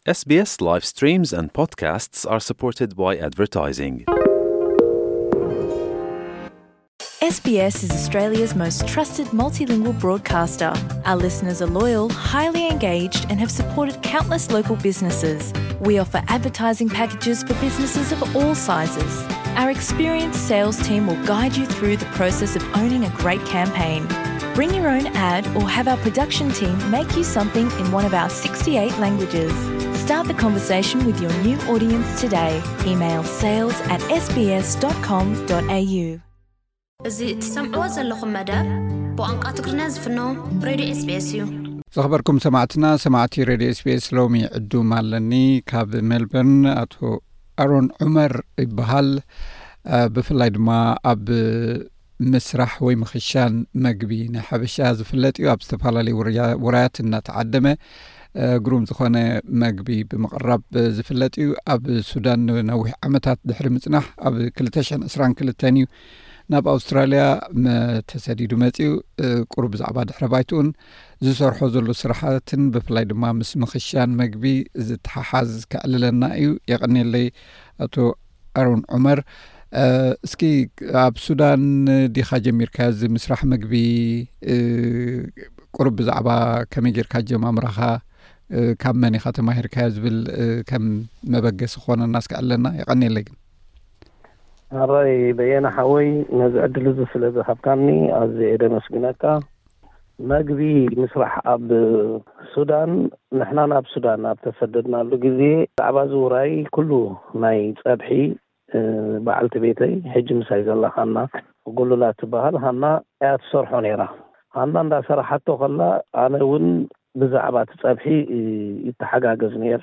S B S live streams and podcasts are supported by advertising. S B S is Australia's most trusted multilingual broadcaster. Our listeners are loyal, highly engaged, and have supported countless local businesses. We offer advertising packages for businesses of all sizes. Our experienced sales team will guide you through the process of owning a great campaign. Bring your own ad or have our production team make you something in one of our sixty-eight languages. Start the conversation with your new audience today. Email sales at S B S dot com dot A U. እዚ እትሰምዕዎ ዘለኹም መደብ ብቋንቋ ትግርኛ ዝፍኖ ሬድዮ S B S እዩ። ዝኸበርኩም ሰማዕትና፣ ሰማዕቲ ሬድዮ S B S፣ ሎሚ ዕዱም ኣለኒ። ካብ ሜልበርን ኣቶ ኣሮን ዑመር ይበሃል። ብፍላይ ድማ ኣብ ምስራሕ ወይ ምኽሻን መግቢ ናይ ሓበሻ ዝፍለጥ እዩ። ኣብ ዝተፈላለዩ ውራያት እናተዓደመ ግሩም ዝኾነ መግቢ ብምቕራብ ዝፍለጥ እዩ። ኣብ ሱዳን ንነዊሕ ዓመታት ድሕሪ ምጽናሕ ኣብ ክልተ ሽሕን ዕስራን ክልተን እዩ ናብ ኣውስትራልያ ተሰዲዱ መጺኡ። ቁሩብ ብዛዕባ ድሕረ ባይትኡን ዝሰርሖ ዘሎ ስራሓትን ብፍላይ ድማ ምስ ምኽሻን መግቢ ዝተሓሓዝ ከዕልለና እዩ። የቐንየለይ ኣቶ ኣሮን ዑመር። እስኪ ኣብ ሱዳን ዲኻ ጀሚርካ እዚ ምስራሕ መግቢ? ቁሩብ ብዛዕባ ከመይ ጌርካ ጀማምራኻ፣ ካብ መን ኢኻ ተማሂርካዮ ዝብል ከም መበገሲ ክኾነና እስኪ ዕለና። የቐንየለይ ግን። ኣራይ በየነ ሓወይ፣ ነዚ ዕድል እዚ ስለ ዝሃብካኒ ኣዝየ እየ ደመስግነካ። መግቢ ምስራሕ ኣብ ሱዳን፣ ንሕና ናብ ሱዳን ኣብ ተሰደድናሉ ግዜ ብዛዕባ እዚ ውራይ ኩሉ ናይ ጸብሒ በዓልቲ ቤተይ፣ ሕጂ ምሳይ ዘላ ሃና ጉሉላ ትበሃል፣ ሃና እያ ትሰርሖ ነይራ። ሃና እንዳሰራሓቶ ከላ ኣነ እውን ብዛዕባ እቲ ጸብሒ ይተሓጋገዝ ነይረ።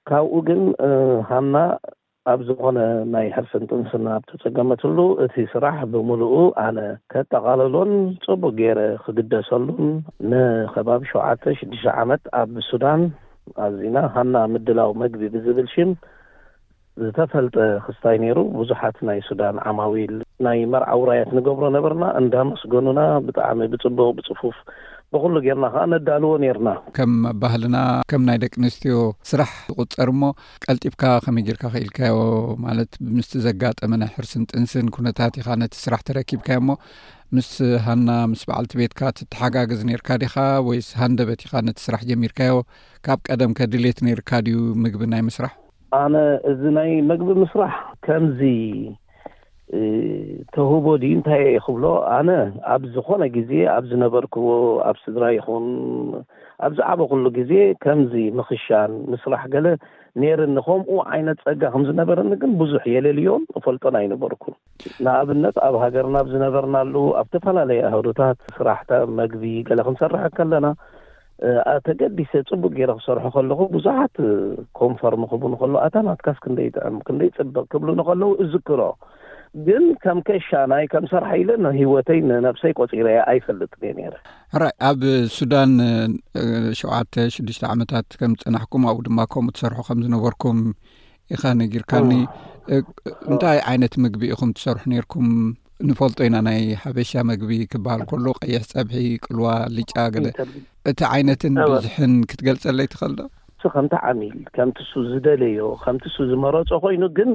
ካብኡ ግን ሃና ኣብ ዝኾነ ናይ ሕርስን ጥንስን ኣብ ተጸገመትሉ እቲ ስራሕ ብምሉኡ ኣነ ከጠቓልሎን ጽቡቕ ገይረ ክግደሰሉን ንኸባቢ ሸውዓተ ሽዱሽተ ዓመት ኣብ ሱዳን ኣዚና ሃና ምድላው መግቢ ብዝብል ሽም ዝተፈልጠ ክስታይ ነይሩ። ብዙሓት ናይ ሱዳን ዓማዊል ናይ መርዓ ውራያት ንገብሮ ነበርና። እንዳመስገኑና ብጣዕሚ ብጽቡቕ ብጽፉፍ ብኹሉ ጌርና ከዓ ነዳልዎ ኔርና። ከም ባህልና ከም ናይ ደቂ ኣንስትዮ ስራሕ ዝቁጸር እሞ ቀልጢፍካ ከመይ ጌርካ ክኢልካዮ? ማለት ምስቲ ዘጋጠመ ናይ ሕርስን ጥንስን ኩነታት ኢኻ ነቲ ስራሕ ተረኪብካዮ እሞ ምስ ሃና ምስ በዓልቲ ቤትካ ትተሓጋገዝ ኔርካ ዲኻ ወይስ ሃንደበት ኢኻ ነቲ ስራሕ ጀሚርካዮ? ካብ ቀደም ከ ድሌት ኔርካ ድዩ ምግቢ ናይ ምስራሕ? ኣነ እዚ ናይ መግቢ ምስራሕ ከምዚ ተውህቦ ድዩ እንታይ እየ ክብሎ፣ ኣነ ኣብ ዝኾነ ግዜ ኣብ ዝነበርክዎ ኣብ ስድራ ይኹን ኣብ ዝዓበኹሉ ግዜ ከምዚ ምኽሻን ምስራሕ ገለ ነይርኒ። ከምኡ ዓይነት ጸጋ ከም ዝነበረኒ ግን ብዙሕ የለልዮን እፈልጦን ኣይነበርኩን። ንኣብነት ኣብ ሃገርና ኣብ ዝነበርናሉ ኣብ ዝተፈላለየ ኣህዱታት ስራሕታ መግቢ ገለ ክንሰርሕ ከለና ተገዲሰ ጽቡቅ ገይረ ክሰርሖ ከለኹ ብዙሓት ኮንፈርም ክብሉ ከሎ ኣታ ናትካስ ክንደይ ጥዕም ክንደይ ጽብቅ ክብሉኒ ከለዉ እዝክሮ። ግን ከም ከሻናይ ከም ሰራሕ ኢለ ንህይወተይ ንነብሰይ ቆጺረያ ኣይፈልጥን እየ ነይረ። ሕራይ ኣብ ሱዳን ሸውዓተ ሽዱሽተ ዓመታት ከም ዝጸናሕኩም ኣብኡ ድማ ከምኡ ትሰርሑ ከም ዝነበርኩም ኢኻ ነጊርካኒ። እንታይ ዓይነት ምግቢ ኢኹም ትሰርሑ ነይርኩም? ንፈልጦ ኢና ናይ ሓበሻ መግቢ ክበሃል ከሎ ቀይሕ ጸብሒ፣ ቅልዋ፣ ልጫ ገለ እቲ ዓይነትን ብዝሕን ክትገልጸለይ ትኽእል ዶ? እሱ ከምቲ ዓሚል ከምቲ እሱ ዝደለዮ ከምቲ እሱ ዝመረጾ ኮይኑ ግን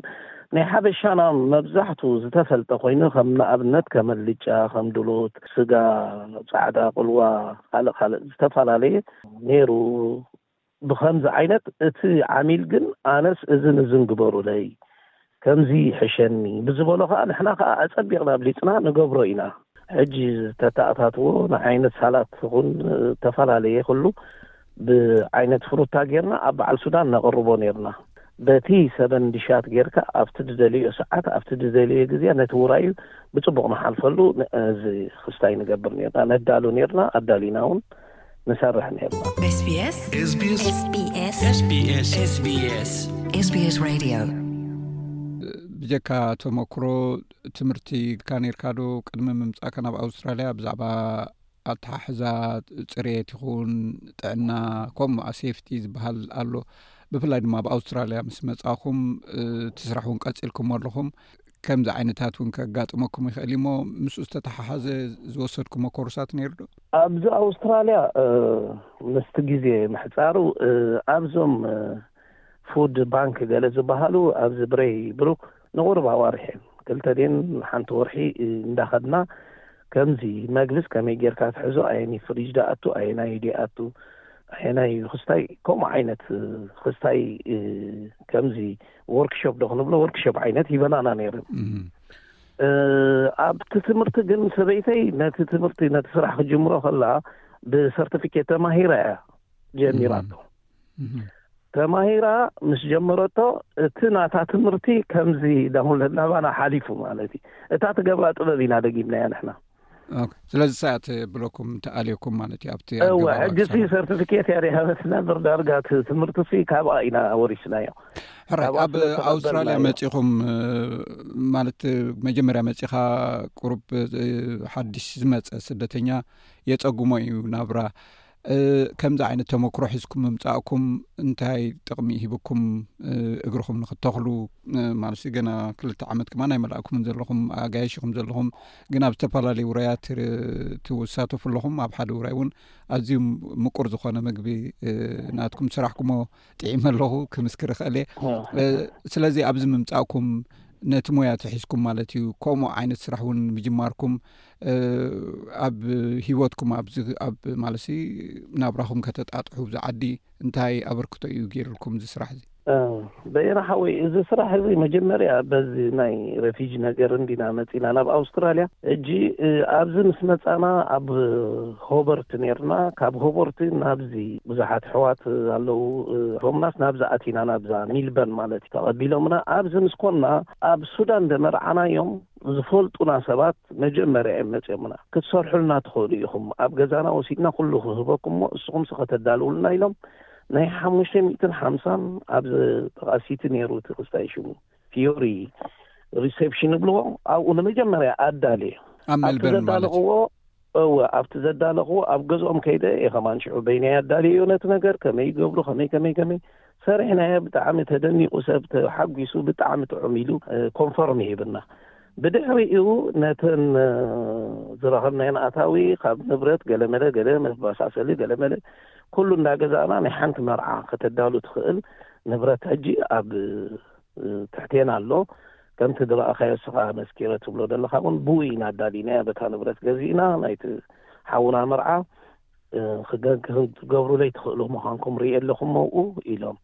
ናይ ሓበሻና መብዛሕቱ ዝተፈልጠ ኮይኑ ከም ንኣብነት ከም ልጫ ከም ድሎት ስጋ ጻዕዳ ቅልዋ ካልእ ካልእ ዝተፈላለየ ነይሩ። ብኸምዚ ዓይነት እቲ ዓሚል ግን ኣነስ እዝን እዝን ግበሩለይ ከምዚ ይሕሸኒ ብዝበሎ ከዓ ንሕና ከዓ ኣጸቢቕና ኣብሊጽና ንገብሮ ኢና። ሕጂ ዝተተኣታትዎ ንዓይነት ሳላት ይኹን ዝተፈላለየ ኩሉ ብዓይነት ፍሩታ ጌርና ኣብ በዓል ሱዳን ነቕርቦ ኔርና። በቲ ሰበን ዲሻት ጌርካ ኣብቲ ዝደልዮ ሰዓት ኣብቲ ዝደልዮ ግዜ ነቲ ውራዩ ብጽቡቕ ንሓልፈሉ እዚ ክስታይ ንገብር ኔርና ነዳሉ ኔርና ኣዳሊና እውን ንሰርሕ ኔርና። SBS SBS SBS SBS SBS SBS Radio ብጀካ ተመክሮ ትምህርቲ ካ ኔርካ ዶ ቅድሚ ምምጻእካ ናብ ኣውስትራልያ ብዛዕባ ኣተሓሕዛ ጽሬት ይኹን ጥዕና ከምኡ ሴፍቲ ዝበሃል ኣሎ። ብፍላይ ድማ ኣብ ኣውስትራልያ ምስ መጻኹም እቲ ስራሕ እውን ቀጺልኩም ኣለኹም። ከምዚ ዓይነታት እውን ከጋጥመኩም ይኽእል እሞ፣ ምስኡ ዝተተሓሓዘ ዝወሰድኩሞ ኮርሳት ነይሩ ዶ? ኣብዚ ኣውስትራልያ ምስቲ ግዜ ምሕፃሩ፣ ኣብዞም ፉድ ባንክ ገለ ዝበሃሉ ኣብዚ ብሬይ ብሩክ ንቑርብ ኣዋርሕ እዮም፣ ክልተ ድን ሓንቲ ወርሒ እንዳኸድና ከምዚ መግብስ ከመይ ጌርካ ትሕዞ፣ ኣየኒ ፍሪጅ ደኣቱ፣ ኣየናይ ደኣቱ፣ ኣየናይ ክስታይ፣ ከምኡ ዓይነት ክስታይ፣ ከምዚ ወርክሾፕ ዶ ክንብሎ፣ ወርክሾፕ ዓይነት ሂበናና ነይሩ። ኣብቲ ትምህርቲ ግን ሰበይተይ ነቲ ትምህርቲ፣ ነቲ ስራሕ ክጅምሮ ከላ ብሰርቲፊኬት ተማሂራ እያ ጀሚራቶ። ተማሂራ ምስ ጀመረቶ፣ እቲ ናታ ትምህርቲ ከምዚ ዳሁን ናባና ሓሊፉ ማለት እዩ። እታ ትገብራ ጥበብ ኢና ደጊምናያ ንሕና። ስለዚ ሳያት ብለኩም ተኣልየኩም ማለት እዩ ኣብቲ እወ። ሕጂ ሲ ሰርቲፊኬት እያ ዲሃበት ነበር ዳርጋ ትምህርቲ ሲ ካብኣ ኢና ወሪስናዮ። ሕራይ፣ ኣብ ኣውስትራልያ መፂኹም ማለት መጀመርያ መፂኻ ቁሩብ ሓድሽ ዝመፀ ስደተኛ የፀጉሞ እዩ ናብራ። ከምዚ ዓይነት ተመክሮ ሒዝኩም ምምፃእኩም እንታይ ጥቕሚ ሂብኩም? እግርኹም ንክተኽሉ ማለት ገና ክልተ ዓመት ከማን ኣይመላእኩምን ዘለኹም፣ ኣጋይሽ ኢኹም ዘለኹም፣ ግን ኣብ ዝተፈላለዩ ውራያት ትሳተፉ ኣለኹም። ኣብ ሓደ ውራይ እውን ኣዝዩ ምቁር ዝኾነ ምግቢ ናትኩም ዝሰራሕኩሞ ጥዒመ ኣለኹ ክምስክር እኽእል እየ። ስለዚ ኣብዚ ምምፃእኩም ነቲ ሞያ ተሒዝኩም ማለት እዩ፣ ከምኡ ዓይነት ስራሕ እውን ምጅማርኩም ኣብ ሂወትኩም ኣብዚ ኣብ ማለት ናብራኹም ከተጣጥሑ ኣብዚ ዓዲ እንታይ ኣበርክቶ እዩ ገይሩልኩም እዚ ስራሕ እዚ? በየና ሓወይ፣ እዚ ስራሕ እዚ መጀመርያ በዚ ናይ ሬፊጂ ነገር እንዲና መፂና ናብ ኣውስትራልያ። እጂ ኣብዚ ምስ መፃና ኣብ ሆበርት ነርና። ካብ ሆበርት ናብዚ ብዙሓት ኣሕዋት ኣለዉ፣ ሆምናስ ናብዚ ኣቲና፣ ናብዛ ሚልበርን ማለት እዩ፣ ተቐቢሎምና። ኣብዚ ምስ ኮና ኣብ ሱዳን ደመርዓናዮም ዝፈልጡና ሰባት መጀመርያ እዮም መፅኦምና። ክትሰርሑልና ትኽእሉ ኢኹም፣ ኣብ ገዛና ወሲድና ኩሉ ክህበኩም እሞ እስኹምሲ ከተዳልውልና ኢሎም ናይ ሓሙሽተ ሚእትን ሓምሳን ኣብ ተቓሲቲ ነይሩ እቲ ክስታይ ሽሙ ፊዮሪ ሪሴፕሽን ይብልዎ። ኣብኡ ንመጀመርያ ኣዳልየ ኣብ ሜልበርን ማለት ዘዳለኽዎ እወ፣ ኣብቲ ዘዳለኽዎ ኣብ ገዝኦም ከይደ እየ ከማን ሽዑ በይነይ ኣዳልየዮ ነቲ ነገር ከመይ ይገብሩ ከመይ ከመይ ከመይ ሰሪሕናዮ። ብጣዕሚ ተደኒቑ፣ ሰብ ተሓጒሱ፣ ብጣዕሚ ጥዑም ኢሉ ኮንፈርም ይህብና። ብድሕሪኡ ነተን ዝረኸብናየን ኣታዊ ካብ ንብረት ገለመለ ገለ መባሳሰሊ ገለመለ ኩሉ እንዳገዛእና ናይ ሓንቲ መርዓ ከተዳሉ ትኽእል ንብረት ሕጂ ኣብ ትሕቴና ኣሎ። ከምቲ ዝረኣኻዮ እስኻ መስኪረ ትብሎ ዘለኻ እውን ብኡ ኢና ኣዳሊናያ። በታ ንብረት ገዚእና ናይቲ ሓውና መርዓ ክትገብሩለይ ትኽእሉ ምዃንኩም ርኢ ኣለኹም መውኡ ኢሎም።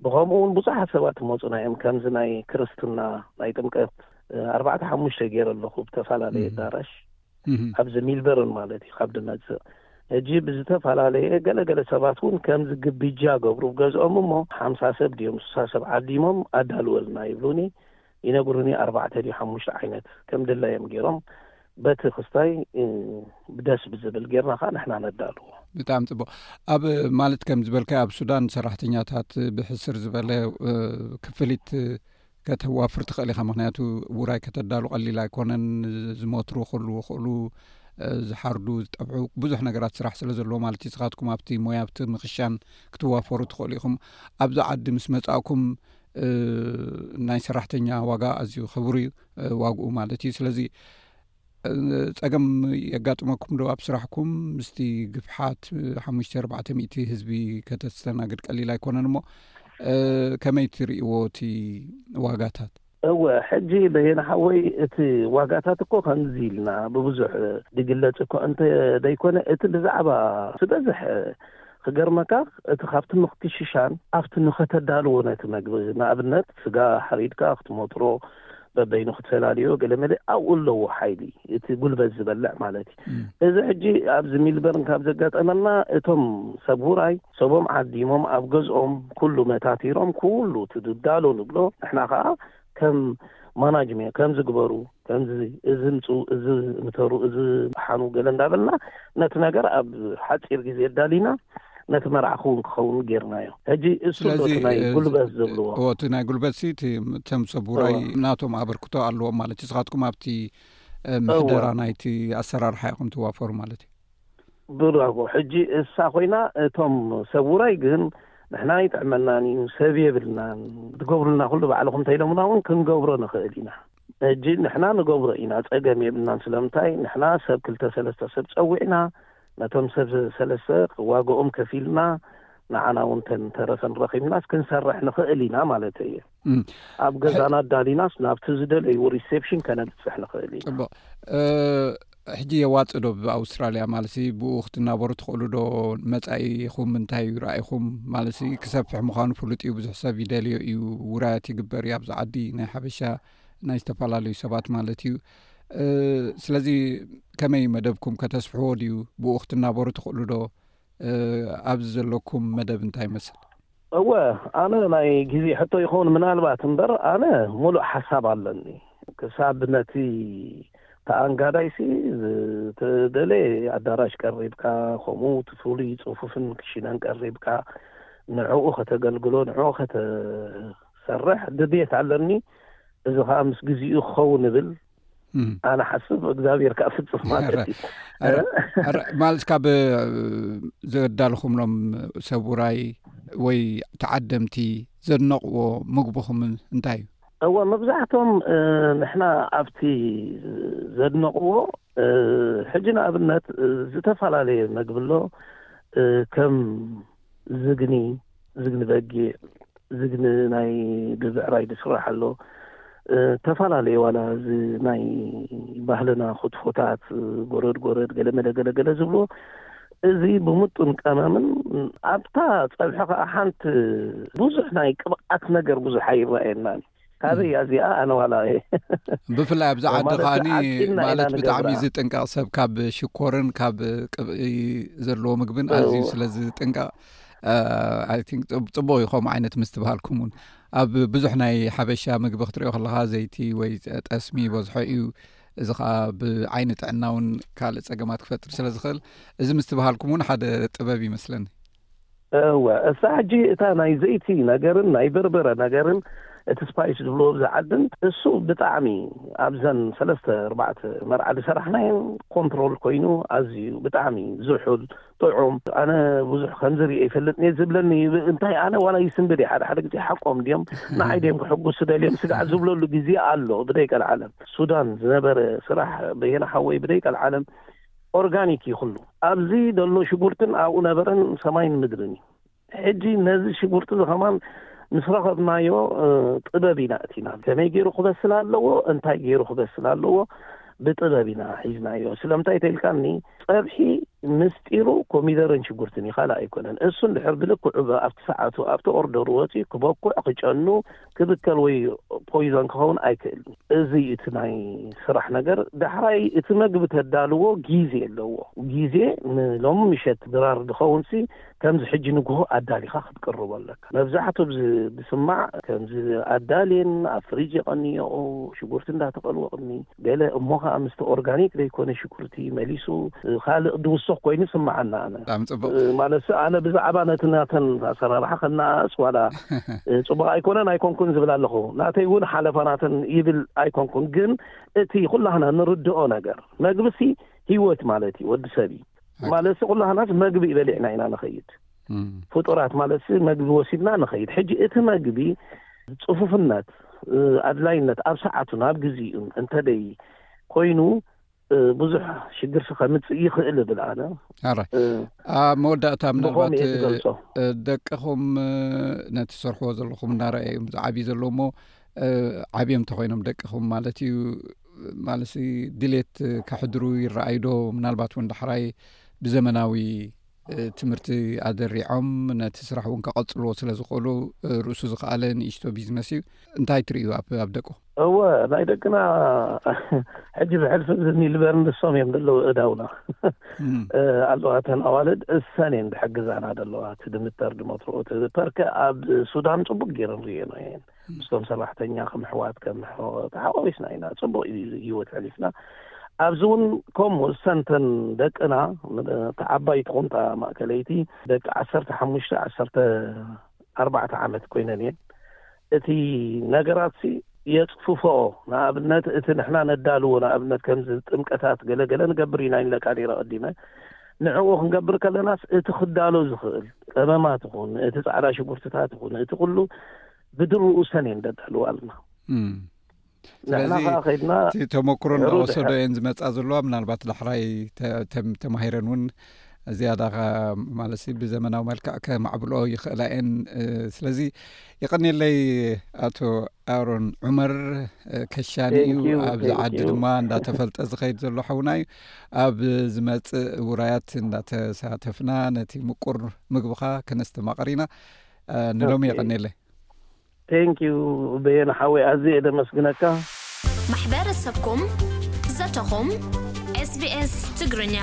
ብኸምኡ እውን ብዙሓት ሰባት ይመፁና እዮም። ከምዚ ናይ ክርስትና ናይ ጥምቀት ኣርባዕተ ሓሙሽተ ገይረ ኣለኹ ብተፈላለየ ኣዳራሽ ኣብዚ ሚልበርን ማለት እዩ ካብ ድመፅእ። ሕጂ ብዝተፈላለየ ገለገለ ሰባት እውን ከምዚ ግብጃ ገብሩ ገዝኦም እሞ ሓምሳ ሰብ ድዮም ስሳ ሰብ ዓዲሞም ኣዳልወልና ይብሉኒ፣ ይነግሩኒ። ኣርባዕተ ድዩ ሓሙሽተ ዓይነት ከም ድላዮም ገይሮም በቲ ክስታይ ብደስ ብዝብል ጌርና ከዓ ንሕና ነዳልዎ። ብጣዕሚ ፅቡቅ። ኣብ ማለት ከም ዝበልካዮ ኣብ ሱዳን ሰራሕተኛታት ብሕስር ዝበለ ክፍሊት ከተዋፍር ትኽእል ኢኻ። ምክንያቱ ውራይ ከተዳሉ ቀሊል ኣይኮነን። ዝመትሩ ክህልዉ ይኽእሉ፣ ዝሓርዱ ዝጠብዑ ብዙሕ ነገራት ስራሕ ስለ ዘለዎ ማለት እዩ። ንስኻትኩም ኣብቲ ሞያ ኣብቲ ምኽሻን ክትዋፈሩ ትኽእሉ ኢኹም። ኣብዚ ዓዲ ምስ መጻእኩም ናይ ሰራሕተኛ ዋጋ ኣዝዩ ክቡር እዩ፣ ዋግኡ ማለት እዩ። ስለዚ ጸገም የጋጥመኩም ዶ ኣብ ስራሕኩም? ምስቲ ግፍሓት ሓሙሽተ ኣርባዕተ ሚእቲ ህዝቢ ከተስተናግድ ቀሊል ኣይኮነን እሞ ከመይ ትርእይዎ እቲ ዋጋታት? እወ፣ ሕጂ በየነ ሓወይ እቲ ዋጋታት እኮ ከምዚ ኢልና ብብዙሕ ድግለጽ እኮ እንተ ደይኮነ እቲ ብዛዕባ ዝበዝሕ ክገርመካ እቲ ካብቲ ምክትሽሻን ኣብቲ ንኸተዳልዎ ነቲ መግቢ ንኣብነት ስጋ ሓሪድካ ክትመጥሮ በበይኑ ክትፈላልዮ ገለ መለ ኣብኡ ኣለዎ ሓይሊ እቲ ጉልበት ዝበልዕ ማለት እዩ። እዚ ሕጂ ኣብዚ ሚልበርን ካብ ዘጋጠመና እቶም ሰብ ውራይ ሰቦም ዓዲሞም ኣብ ገዝኦም ኩሉ መታቲሮም ኩሉ ትድዳሎ ንብሎ ንሕና ከዓ ከም ማናጅመንት ከምዚ ግበሩ ከምዚ እዚ ምፁ እዚ ምተሩ እዚ ሓኑ ገለ እንዳበልና ነቲ ነገር ኣብ ሓፂር ግዜ ኣዳሊና ነቲ መርዓ ክውን ክኸውን ጌርናዮ። ሕጂ እሱ ስለዚ እቲ ናይ ጉልበት ዝብልዎ እቲ ናይ ጉልበት ሲ እቶም ሰብ ውራይ ናቶም ኣበርክቶ ኣለዎም ማለት እዩ። ንስኻትኩም ኣብቲ ምሕደራ ናይቲ ኣሰራርሓ ኢኹም ትዋፈሩ ማለት እዩ። ብራቮ። ሕጂ እሳ ኮይና እቶም ሰብ ውራይ ግን ንሕና ይጥዕመናን እዩ ሰብ የብልናን ትገብሩልና ኩሉ ባዕልኹም እንተኢሎምና እውን ክንገብሮ ንኽእል ኢና። ሕጂ ንሕና ንገብሮ ኢና፣ ጸገም የብልናን። ስለምንታይ ንሕና ሰብ ክልተ ሰለስተ ሰብ ጸዊዕና፣ ነቶም ሰብ ሰለስተ ዋጋኦም ከፊልና፣ ንዓና እውን ተን ተረፈን ረኺብናስ ክንሰርሕ ንኽእል ኢና ማለት እየ። እም። ኣብ ገዛና ኣዳሊናስ ናብቲ ዝደለይዎ ሪሴፕሽን ከነብጽሕ ንኽእል ኢና። ጽቡቕ። እ፣ ሕጂ የዋጽእ ዶ ብኣውስትራልያ ማለት ሲ ብኡ ክትናበሩ ትኽእሉ ዶ? መጻኢኹም እንታይ እዩ ራእይኹም? ማለት ሲ ክሰፍሕ ምዃኑ ፍሉጥ እዩ፣ ብዙሕ ሰብ ይደልዮ እዩ፣ ውራያት ይግበር እዩ ኣብዚ ዓዲ፣ ናይ ሓበሻ ናይ ዝተፈላለዩ ሰባት ማለት እዩ። እ፣ ስለዚ ከመይ መደብኩም ከተስፍሕዎ ድዩ? ብኡ ክትናበሩ ትኽእሉ ዶ? እ፣ ኣብዚ ዘለኩም መደብ እንታይ ይመስል? እወ፣ ኣነ ናይ ግዜ ሕቶ ይኸውን ምናልባት እምበር፣ ኣነ ሙሉእ ሓሳብ ኣለኒ። ክሳብ ነቲ ተኣንጋዳይሲ ዝተደለየ ኣዳራሽ ቀሪብካ፣ ከምኡ እቲ ፍሉይ ጽፉፍን ክሽነን ቀሪብካ፣ ንዕኡ ከተገልግሎ፣ ንዕኡ ከተሰርሕ ድልየት ኣለኒ። እዚ ኸኣ ምስ ግዜኡ ክኸውን እብል እም። ኣነ ሓስብ፣ እግዚኣብሔር ከኣ ፍጽም ማለት እዩ። ኣረ፣ ኣረ፣ ማለት ካብ ዘዳልኹምሎም ሰብ ውራይ ወይ ተዓደምቲ ዘድነቕዎ ምግብኹም እንታይ እዩ? እወ፣ መብዛሕቶም፣ እ፣ ንሕና ኣብቲ ዘድነቕዎ፣ እ፣ ሕጂ ንኣብነት፣ እ፣ ዝተፈላለየ መግቢ ኣሎ፣ እ፣ ከም ዝግኒ፣ ዝግኒ በጊዕ፣ ዝግኒ ናይ ብብዕራይ ዝስራሕ ኣሎ። እ፣ ተፈላለየ ዋላ እዚ ናይ ባህልና ክትፎታት፣ እ፣ ጎረድ ጎረድ፣ ገለ መለ ገለ ገለ ዝብሎ፣ እዚ ብምጡን ቀመምን ኣብታ ጸብሒ ከኣ ሓንቲ ብዙሕ ናይ ቅብኣት ነገር ብዙሕ ኣይረኣየናን። ካበይ እያ እዚኣ? ኣነ ዋላ እየ። ብፍላይ ኣብዚ ዓዲ ማለት ከኣኒ ኣጥቂና ኢና ማለት ብጣዕሚ ንገብራ። ዝጥንቀቕ ሰብ ካብ ሽኮርን ካብ ቅብኢ ዘለዎ ምግብን ኣዝዩ እዎ። ስለ ዝጥንቀቕ፣ እ፣ I think ጽብ-፣ ጽቡቕ እዩ ከምኡ ዓይነት ምስትብሃልኩም እውን። ኣብ ብዙሕ ናይ ሓበሻ ምግቢ ክትሪኦ ከለኻ ዘይቲ ወይ ጠስሚ ይበዝሖ እዩ። እዚ ኸኣ ብዓይኒ ጥዕና እውን ካልእ ጸገማት ክፈጥር ስለ ዝኽእል፣ እዚ ምስትብሃልኩም እውን ሓደ ጥበብ ይመስለኒ። እወ፣ እሳ ሕጂ እታ ናይ ዘይቲ ነገርን ናይ በርበረ ነገርን እቲ ስፓይስ ዝብልዎ ኣብዚ ዓድን እሱ ብጣዕሚ ኣብዘን ሰለስተ ኣርባዕተ መርዓ ዝሰራሕናየን ኮንትሮል ኮይኑ ኣዝዩ ብጣዕሚ ዝሑል ጥዑም። ኣነ ብዙሕ ከምዚ ሪኤ ይፈልጥ እየ ዝብለኒ፣ እንታይ ኣነ ዋላ ይስንብድ እየ ሓደ ሓደ ግዜ ሓቆም ድዮም ንዓይ ድዮም ክሕጉሱ ደልዮም ስጋዕ ዝብለሉ ግዜ ኣሎ ብደይ ቀልዓለም። ሱዳን ዝነበረ ስራሕ በየነ ሓወይ ብደይ ቀልዓለም ኦርጋኒክ እዩ ኩሉ። ኣብዚ ዘሎ ሽጉርትን ኣብኡ ነበረን ሰማይን ምድርን እዩ። ሕጂ ነዚ ሽጉርቲ እዚ ኸማን ምስ ረኸብናዮ፣ እ፣ ጥበብ ኢና እቲና። ከመይ ገይሩ ክበስል ኣለዎ፣ እንታይ ገይሩ ክበስል ኣለዎ፣ ብጥበብ ኢና ሒዝናዮ። ስለምንታይ ተኢልካኒ፣ ጸብሒ ምስጢሩ ኮሚደርን ሽጉርትን እዩ፣ ካልእ ኣይኮነን። እሱ እንድሕር ብልክዑ ብ-፣ ኣብቲ ሰዓቱ፣ ኣብቲ ኦርደሩ ወጺኡ ክበኩዕ፣ ክጨኑ፣ ክብከል ወይ ፖይዞን ክኸውን ኣይክእልን። እዚ እዩ እቲ ናይ ስራሕ ነገር። ዳሕራይ እቲ መግቢ ተዳልዎ ግዜ ኣለዎ። ግዜ ንሎሚ ምሸት ድራር ዝኸውንሲ ከምዚ ሕጂ ንግሆ ኣዳሊኻ ክትቅርቦ ኣለካ። መብዛሕቱ ብዝ-፣ ብስማዕ ከምዚ ኣዳልየን ኣብ ፍሪጅ የቐንየኦ ሽጉርቲ እንዳተቐልወቕኒ ገለ እሞ ኸኣ ምስቲ ኦርጋኒክ ዘይኮነ ሽጉርቲ መሊሱ ካልእ ድውስኽ ኮይኑ ይስምዓና። ኣነ ብጣዕሚ ጽቡቕ። እ፣ ማለትሲ ኣነ ብዛዕባ ነቲ ናተን ኣሰራርሓ ከነኣእስ ዋላ፣ እ፣ ጽቡቕ ኣይኮነን ኣይኮንኩን ዝብል ኣለኹ። ናተይ እውን ሓለፋ ናተን ይብል ኣይኮንኩን፣ ግን እቲ ኩላህና ንርድኦ ነገር መግብሲ ህይወት ማለት እዩ፣ ወዲ ሰብ እዩ። ኣይ- ማለትሲ ኩላህናስ መግቢ በሊዕና ኢና ንኸይድ። እም። ፍጡራት ማለትሲ መግቢ ወሲድና ንኸይድ። ሕጂ እቲ መግቢ ጽፉፍነት፣ እ፣ ኣድላይነት ኣብ ሰዓቱን ኣብ ግዜኡን እንተደይ ኮይኑ፣ እ፣ ብዙሕ ሽግርሲ ከምጽእ ይኽእል እብል ኣነ። ኣራይ። እ፣ ኣብ መወዳእታ ብኸምኡ ምናልባት፣ እየ ዝገልጾ። እ፣ ደቅኹም፣ እ፣ ነቲ ትሰርሕዎ ዘለኹም እናረኣየ እዮም ዝዓብዩ ዘለዉ እሞ፣ እ፣ ዓብዮም እንተኾይኖም ደቅኹም ማለት እዩ፣ ማለትሲ ድሌት ከሕድሩ ይረኣዩ ዶ? ምናልባት እውን ዳሕራይ ብዘመናዊ፣ እ፣ ትምህርቲ ኣደሪዖም ነቲ ስራሕ እውን ከቐጽልዎ ስለ ዝኽእሉ፣ እ፣ ርእሱ ዝኸኣለ ንእሽቶ ቢዝነስ እዩ። እንታይ ትርእዩ ኣብ፣ ኣብ ደቁ? እወ፣ ናይ ደቅና ሕጂ ብሕልፊ ብዝኒ ልበር ንሶም እዮም ዘለዉ እዳውና። እም። እ፣ ኣለዋ እተን ኣዋልድ እሰን እየን ዝሕግዛና ዘለዋ። እቲ ድምተር ድመትርኦ፣ እቲ ፐርከ ኣብ ሱዳን ጽቡቅ ገይረን ርእየን እየን። ምስቶም ሰራሕተኛ ከም ኣሕዋት፣ ከም ኣሕዋት ተሓዋዊስና ኢና። ጽቡቕ እዩ ህይወት ሕሊፍና። ኣብዚ እውን ከምኡ እሰንተን ደቅና፣ እቲ ዓባይ ትኹን እታ ማእከለይቲ፣ ደቂ ዓሰርተ ሓሙሽተ፣ ዓሰርተ ኣርባዕተ ዓመት ኮይነን እየን። እቲ ነገራትሲ የጽፍፎኦ። ንኣብነት፣ እቲ ንሕና ነዳልዎ፣ ንኣብነት፣ ከምዚ ጥምቀታት ገለ ገለ ንገብር ኢና ኢለካ ነይረ ቀዲመ። ንዕኡ ክንገብር ከለናስ፣ እቲ ክዳሎ ዝኽእል ቀመማት ይኹን፣ እቲ ጻዕዳ ሽጉርትታት ይኹን፣ እቲ ኩሉ ብድርኡ ሰን እየን ደዳልዋልና። እም። ንሕና ስለዚ ከዓ ከይድና እቲ ተመክሮ ድሕሩ እንዳወሰዶ ድሕር- እየን ዝመፃ ዘለዋ። ምናልባት ዳሕራይ ተ- ተም- ተማሂረን እውን እዚያዳ ከ- ማለት ሲ ብዘመናዊ መልክዕ ከማዕብልኦ ይኽእላ እየን። እ፣ ስለዚ የቐንየለይ ኣቶ ኣሮን ዑመር፣ እ፣ ከሻኒ እዩ። Thank you, ኣብዚ thank ዓዲ you. ድማ እንዳተፈልጠ ዝኸይድ ዘሎ ሓውና እዩ። ኣብ ዝመፅእ ውራያት እንዳተሳተፍና ነቲ ምቁር ምግብኻ ከነስተማቕር ኢና። እ፣ ንሎሚ Okay. የቐንየለይ። Thank you በየነ ሓወይ፣ ኣዝየ ደመስግነካ። ማሕበረሰብኩም፣ ዘተኹም፣ SBS ትግርኛ።